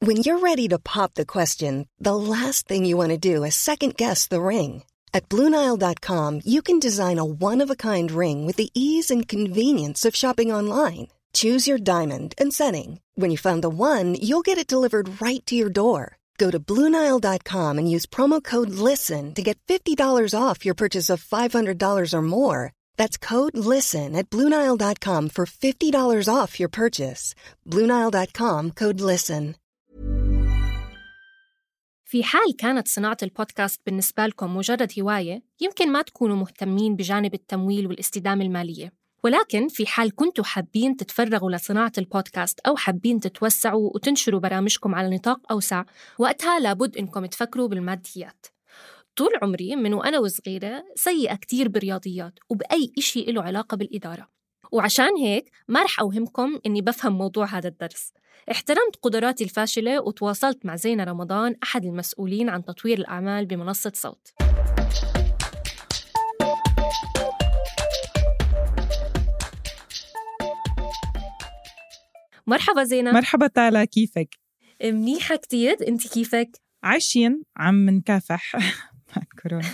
When you're ready to pop the question, the last thing you want to do is second-guess the ring. At BlueNile.com, you can design a one-of-a-kind ring with the ease and convenience of shopping online. Choose your diamond and setting. When you find the one, you'll get it delivered right to your door. Go to BlueNile.com and use promo code LISTEN to get $50 off your purchase of $500 or more. That's code LISTEN at BlueNile.com for $50 off your purchase. BlueNile.com, code LISTEN. في حال كانت صناعة البودكاست بالنسبة لكم مجرد هواية، يمكن ما تكونوا مهتمين بجانب التمويل والاستدامة المالية. ولكن في حال كنتوا حابين تتفرغوا لصناعة البودكاست أو حابين تتوسعوا وتنشروا برامجكم على نطاق أوسع، وقتها لابد إنكم تفكروا بالماديات. طول عمري من وأنا وصغيرة سيئة كتير بالرياضيات وبأي إشي له علاقة بالإدارة، وعشان هيك ما رح أوهمكم إني بفهم موضوع هذا الدرس. احترمت قدراتي الفاشلة وتواصلت مع زينة رمضان، أحد المسؤولين عن تطوير الأعمال بمنصة صوت. مرحبا زينة. مرحبا تالا، كيفك؟ منيحة كتير، أنت كيفك؟ عايشين عم نكافح مع كورونا.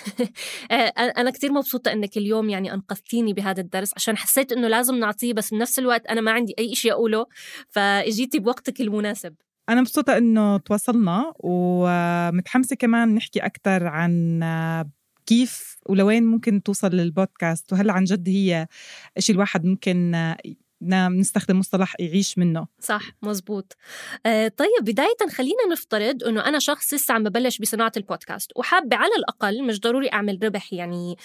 أنا كتير مبسوطة أنك اليوم يعني أنقذتيني بهذا الدرس، عشان حسيت أنه لازم نعطيه، بس بنفس الوقت أنا ما عندي أي إشي أقوله، فإجيتي بوقتك المناسب. أنا مبسوطة أنه تواصلنا، ومتحمسة كمان نحكي أكتر عن كيف ولوين ممكن توصل للبودكاست، وهل عن جد هي إشي الواحد ممكن نستخدم مصطلح يعيش منه. صح، مزبوط. طيب بداية خلينا نفترض أنه أنا شخص لسه عم ببلش بصناعة البودكاست، وحابة على الأقل، مش ضروري أعمل ربح يعني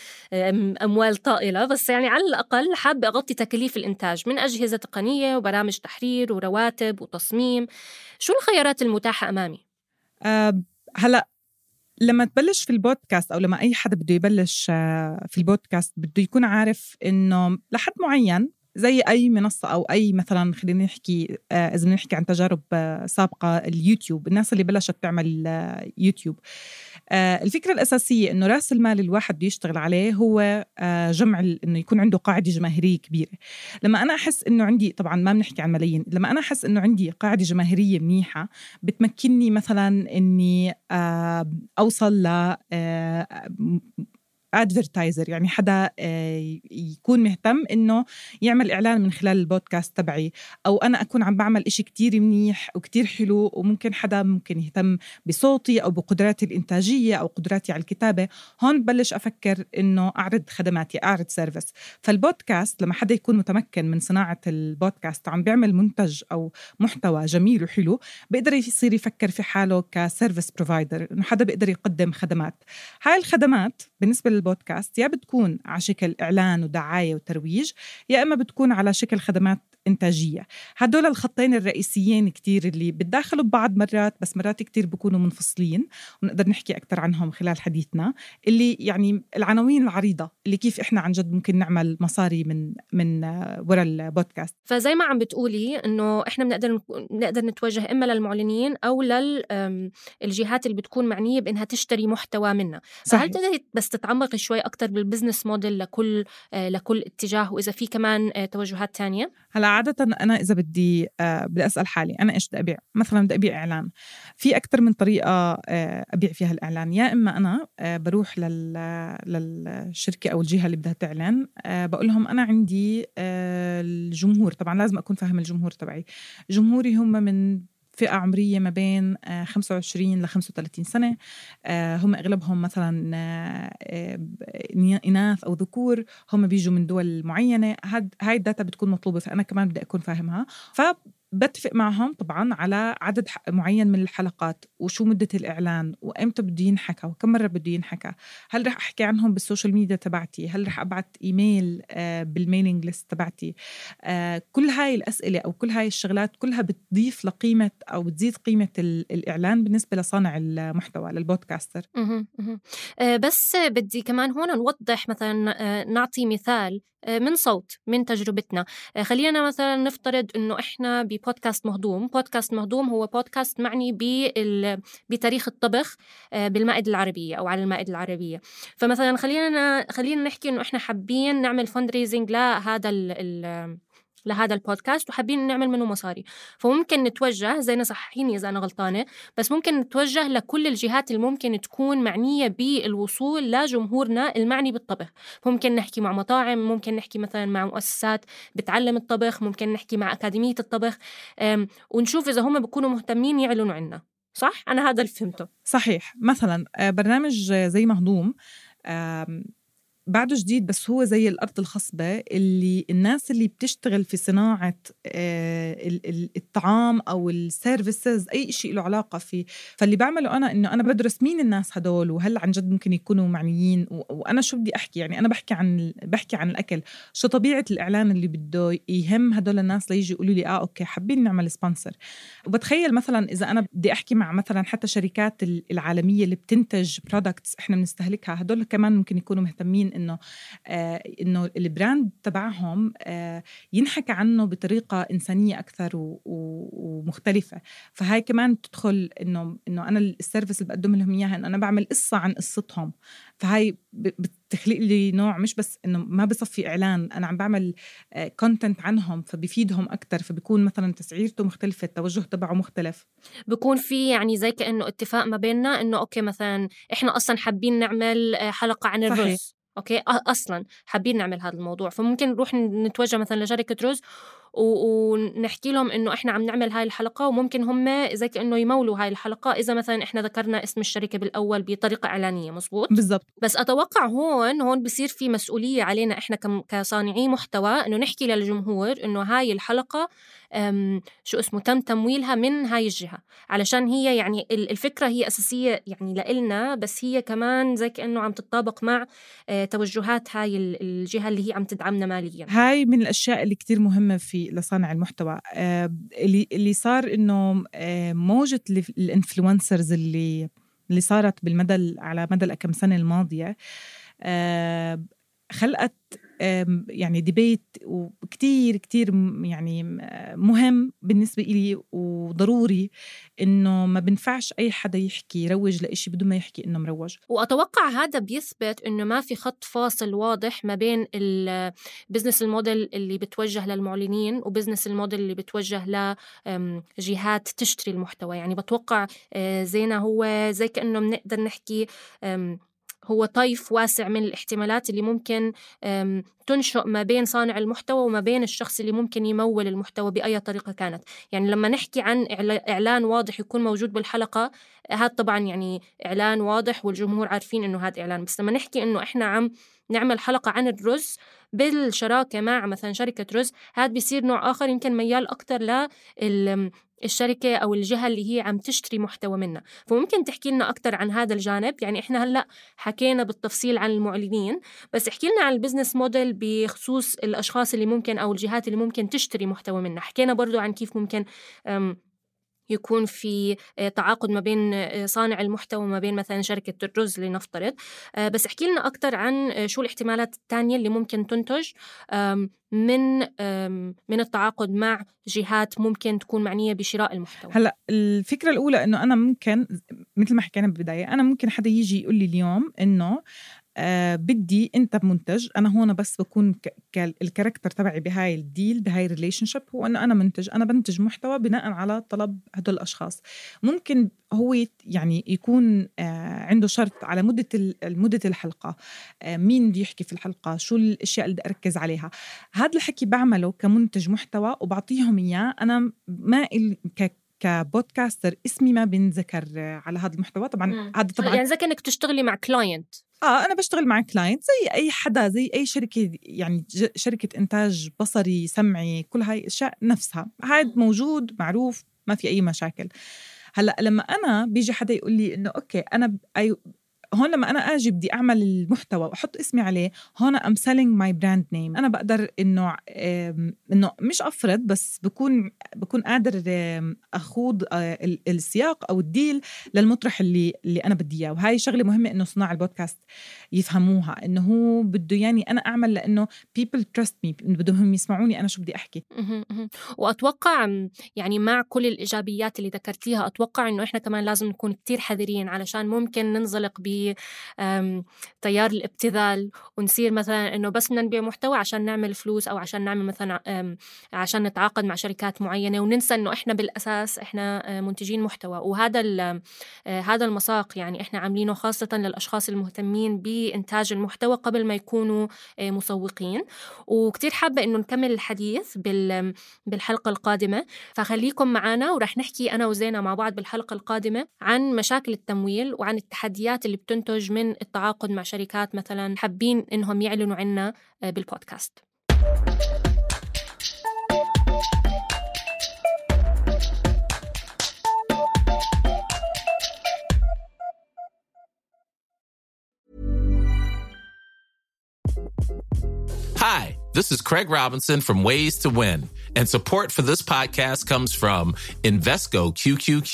أموال طائلة، بس يعني على الأقل حابة أغطي تكاليف الإنتاج من أجهزة تقنية وبرامج تحرير ورواتب وتصميم. شو الخيارات المتاحة أمامي؟ هلأ لما تبلش في البودكاست، أو لما أي حدا بده يبلش في البودكاست، بده يكون عارف إنه لحد معين زي أي منصة أو أي مثلاً، خلينا نحكي إذا نحكي عن تجارب سابقة، اليوتيوب، الناس اللي بلشت تعمل يوتيوب، الفكرة الأساسية إنه رأس المال الواحد بده يشتغل عليه هو جمع، إنه يكون عنده قاعدة جماهيرية كبيرة. لما أنا أحس إنه عندي، طبعاً ما بنحكي عن ملايين، لما أنا أحس إنه عندي قاعدة جماهيرية منيحة بتمكنني مثلاً إني أوصل ل advertiser، يعني حدا يكون مهتم إنه يعمل إعلان من خلال البودكاست تبعي، أو أنا أكون عم بعمل إشي كتير منيح وكتير حلو، وممكن حدا ممكن يهتم بصوتي أو بقدراتي الإنتاجية أو قدراتي على الكتابة. هون بلش أفكر إنه أعرض خدماتي، أعرض سيرفيس. فالبودكاست لما حدا يكون متمكن من صناعة البودكاست وعم بيعمل منتج أو محتوى جميل وحلو، بيقدر يصير يفكر في حاله كسيرفيس بروفايدر، إنه حدا بيقدر يقدم خدمات. هاي الخدمات بالنسبة للبودكاست يا بتكون على شكل إعلان ودعاية وترويج، يا إما بتكون على شكل خدمات إنتاجية. هدول الخطين الرئيسيين كتير اللي بتداخلوا ببعض مرات، بس مرات كتير بيكونوا منفصلين، ونقدر نحكي أكتر عنهم خلال حديثنا، اللي يعني العناوين العريضة اللي كيف إحنا عن جد ممكن نعمل مصاري من وراء البودكاست. فزي ما عم بتقولي إنه إحنا بنقدر نتوجه إما للمعلنين أو للجهات اللي بتكون معنية بإنها تشتري محتوى منا. فهل تقدري بس تتعمقي شوي أكتر بالبزنس موديل لكل اتجاه، وإذا في كمان توجهات تانية؟ هلا عادة أنا إذا بدي أسأل حالي أنا إيش بدي أبيع، مثلا بدي أبيع إعلان، في أكتر من طريقة أبيع فيها الإعلان. يا إما أنا بروح للشركة أو الجهة اللي بدها تعلن، بقول لهم أنا عندي الجمهور، طبعا لازم أكون فاهم الجمهور تبعي. جمهوري هم من فئة عمرية ما بين 25 ل 35 سنة، هم أغلبهم مثلا إناث أو ذكور، هم بيجوا من دول معينة. هاي الداتا بتكون مطلوبة، فأنا كمان بدي أكون فاهمها. بتفق معهم طبعاً على عدد معين من الحلقات، وشو مدة الإعلان، وإمتى بده ينحكى، وكم مرة بده ينحكى. هل رح أحكي عنهم بالسوشيال ميديا تبعتي؟ هل رح أبعت إيميل بالميلينج ليست تبعتي؟ كل هاي الأسئلة أو كل هاي الشغلات كلها بتضيف لقيمة أو بتزيد قيمة الإعلان بالنسبة لصانع المحتوى، للبودكاستر. بس بدي كمان هون نوضح، مثلا نعطي مثال من صوت، من تجربتنا. خلينا مثلا نفترض إنه إحنا ببودكاست مهضوم. بودكاست مهضوم هو بودكاست معني بتاريخ الطبخ بالمائدة العربية أو على المائدة العربية. فمثلا خلينا نحكي إنه إحنا حابين نعمل فندريزنج لهذا لهذا البودكاست وحابين نعمل منه مصاري. فممكن نتوجه، زي صححيني إذا أنا غلطانة، بس ممكن نتوجه لكل الجهات اللي ممكن تكون معنية بالوصول لجمهورنا المعني بالطبخ. ممكن نحكي مع مطاعم، ممكن نحكي مثلا مع مؤسسات بتعلم الطبخ، ممكن نحكي مع أكاديمية الطبخ، ونشوف إذا هم بيكونوا مهتمين يعلنوا عنا. صح؟ أنا هذا اللي فهمته. صحيح. مثلا برنامج زي مهضوم بعده جديد، بس هو زي الأرض الخصبة اللي الناس اللي بتشتغل في صناعة الطعام أو السيرفيسز، أي شيء له علاقة فيه. فاللي بعمله أنا إنه أنا بدرس مين الناس هدول وهل عن جد ممكن يكونوا معنيين، وأنا شو بدي أحكي. يعني أنا بحكي عن الأكل، شو طبيعة الإعلان اللي بده يهم هدول الناس ليجي يقولوا لي أوكي حابين نعمل سبونسر. وبتخيل مثلا إذا أنا بدي أحكي مع مثلا حتى شركات العالمية اللي بتنتج برودكتس إحنا بنستهلكها، هدول كمان ممكن يكونوا مهتمين إنه البراند تبعهم ينحكى عنه بطريقة إنسانية أكثر ومختلفة. فهاي كمان تدخل إنه أنا السيرفيس اللي بقدم لهم إياها إنه أنا بعمل قصة عن قصتهم. فهاي بتخلق لي نوع، مش بس إنه ما بصفي إعلان، أنا عم بعمل كونتنت عنهم فبيفيدهم أكتر، فبيكون مثلا تسعيرته مختلفة، التوجه تبعه مختلف. بيكون في يعني زي كأنه اتفاق ما بيننا إنه أوكي مثلا إحنا أصلا حابين نعمل حلقة عن الرز. صحيح. أوكي أصلاً حابين نعمل هذا الموضوع، فممكن نروح نتوجه مثلاً لشركة رز ونحكي لهم إنه إحنا عم نعمل هاي الحلقة، وممكن هم زي كأنه يمولوا هاي الحلقة إذا مثلاً إحنا ذكرنا اسم الشركة بالأول بطريقة إعلانية. مزبوط بالضبط. بس أتوقع هون بصير في مسؤولية علينا إحنا كصانعي محتوى إنه نحكي للجمهور إنه هاي الحلقة شو اسمه تم تمويلها من هاي الجهة، علشان هي يعني الفكرة هي أساسية يعني لإلنا، بس هي كمان زي كأنه عم تتطابق مع توجهات هاي الجهة اللي هي عم تدعمنا ماليا. هاي من الأشياء اللي كتير مهمة في لصانع المحتوى. اللي صار إنه موجة الانفلونسرز اللي صارت على مدى الكم سنة الماضية خلقت يعني ديبيت وكتير يعني مهم بالنسبة إلي وضروري إنه ما بنفعش أي حدا يحكي يروج لإشي بدون ما يحكي إنه مروج. وأتوقع هذا بيثبت إنه ما في خط فاصل واضح ما بين البزنس الموديل اللي بتوجه للمعلنين وبزنس الموديل اللي بتوجه لجهات تشتري المحتوى. يعني بتوقع زينا هو زي كأنه بنقدر نحكي هو طيف واسع من الاحتمالات اللي ممكن تنشأ ما بين صانع المحتوى وما بين الشخص اللي ممكن يمول المحتوى بأي طريقة كانت. يعني لما نحكي عن إعلان واضح يكون موجود بالحلقة، هذا طبعا يعني إعلان واضح والجمهور عارفين إنه هذا إعلان. بس لما نحكي إنه إحنا عم نعمل حلقة عن الرز بالشراكة مع مثلا شركة رز، هذا بيصير نوع آخر يمكن ميال أكتر للشركة أو الجهة اللي هي عم تشتري محتوى منها. فممكن تحكي لنا أكتر عن هذا الجانب. يعني إحنا هلأ حكينا بالتفصيل عن المعلنين، بس احكي لنا عن البزنس موديل بخصوص الأشخاص اللي ممكن أو الجهات اللي ممكن تشتري محتوى منها. حكينا برضو عن كيف ممكن يكون في تعاقد ما بين صانع المحتوى وما بين مثلا شركة الرز لنفترض. بس احكي لنا أكتر عن شو الاحتمالات التانية اللي ممكن تنتج من التعاقد مع جهات ممكن تكون معنية بشراء المحتوى. هلأ الفكرة الأولى إنه أنا ممكن مثل ما حكينا بالبداية، أنا ممكن حدا يجي يقول لي اليوم إنه بدي أنت منتج، أنا هون بس بكون الكاركتر تبعي بهاي الديل بهاي الريليشنشيب هو أنه أنا منتج، أنا بنتج محتوى بناء على طلب هدول الأشخاص. ممكن هو يعني يكون عنده شرط على مدة الحلقة، مين بده يحكي في الحلقة، شو الأشياء اللي بدي أركز عليها. هذا الحكي بعمله كمنتج محتوى وبعطيهم إياه. أنا ما كبودكاستر اسمي ما بنذكر على هذا المحتوى طبعا. هذا طبعا يعني زي كأنك تشتغلي مع كلاينت. أنا بشتغل مع كلاينت زي أي حدا، زي أي شركة، يعني شركة إنتاج بصري سمعي، كل هاي الأشياء نفسها. هاد موجود معروف، ما في أي مشاكل. هلأ لما أنا بيجي حدا يقول لي إنه أوكي أنا هون لما أنا أجي بدي أعمل المحتوى وأحط اسمي عليه، هون I'm selling my brand name. أنا بقدر إنه مش أفرض، بس بكون قادر أخوض السياق أو الديل للمطرح اللي أنا بدي إياه. وهاي شغلة مهمة إنه صناع البودكاست يفهموها، إنه هو بده يعني أنا أعمل لأنه people trust me، بدهم يسمعوني أنا شو بدي أحكي. وأتوقع يعني مع كل الإيجابيات اللي ذكرتيها، أتوقع إنه إحنا كمان لازم نكون كتير حذرين علشان ممكن ننزلق بتيار الابتذال ونصير مثلا إنه بس بدنا نبيع محتوى عشان نعمل فلوس أو عشان نعمل مثلا عشان نتعاقد مع شركات معينة، وننسى إنه إحنا بالأساس إحنا منتجين محتوى. وهذا هذا المساق يعني إحنا عاملينه خاصة للأشخاص المهتمين بإنتاج المحتوى قبل ما يكونوا مسوقين. وكتير حابة إنه نكمل الحديث بالحلقة القادمة، فخليكم معنا ورح نحكي أنا وزينة مع بعض بالحلقة القادمة عن مشاكل التمويل وعن التحديات اللي بتنتج من التعاقد مع شركات مثلا حابين إنهم يعلنوا عنا بالبودكاست. Hi, this is Craig Robinson from Ways to Win, and support for this podcast comes from Invesco QQQ,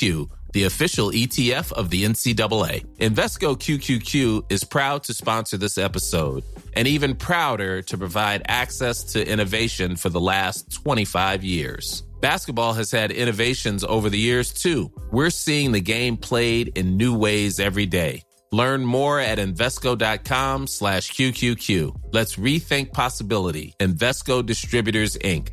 the official ETF of the NCAA. Invesco QQQ is proud to sponsor this episode, and even prouder to provide access to innovation for the last 25 years. Basketball has had innovations over the years, too. We're seeing the game played in new ways every day. Learn more at Invesco.com/QQQ. Let's rethink possibility. Invesco Distributors, Inc.